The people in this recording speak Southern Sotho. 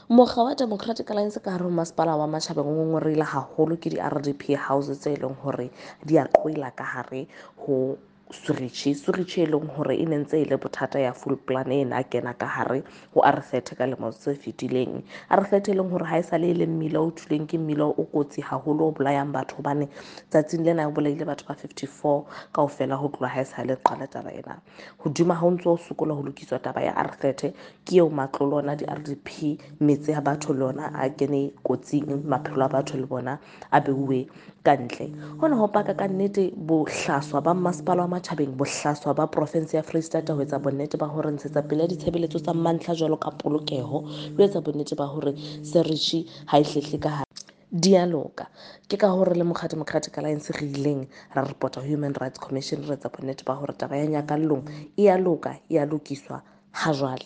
Mokga wa Democratic Alliance ka hare ho masepala wa Matjhabeng o ngongoreile haholo ke di-RDP houses tse leng hore di a qwela ka hare ho Surichi. Surichi e leng hore e ne ntse e le bothata ya full plan e na kena ka hare ho R30 ka lemo tse fetileng. R30 e leng hore ha e sale e le mmila o thuleng ke mmila o kotsi haholo o bolayang batho hobane tsatsing lena o bolaile batho ba 54 kaofela ho tloha ha e sale qala taba ena. Hodima ha o ntso o sokola ho lokiswa taba ya R30 ke eo matlolo ona di-RDP metse ya batho le ona a kene kotsing, maphelo a batho le bona a beuwe ka ntle. Hona ho paka ka nnete bohlaswa ba masepala wa Matjhabeng, bohlaswa ba province ya Freistata ho etsa bonnete ba hore ntshetsa pele ya ditshebeletso tsa mantlha jwalo ka polokeho le ho etsa bonnete ba hore Serichi ha e hlehle ka hare di a loka. Ke ka hore le mokga Democratic Alliance re ileng ra report-a Human Rights Commission re etsa bonnete ba hore taba ya Nyakallong e a loka, e a lokiswa ha jwale.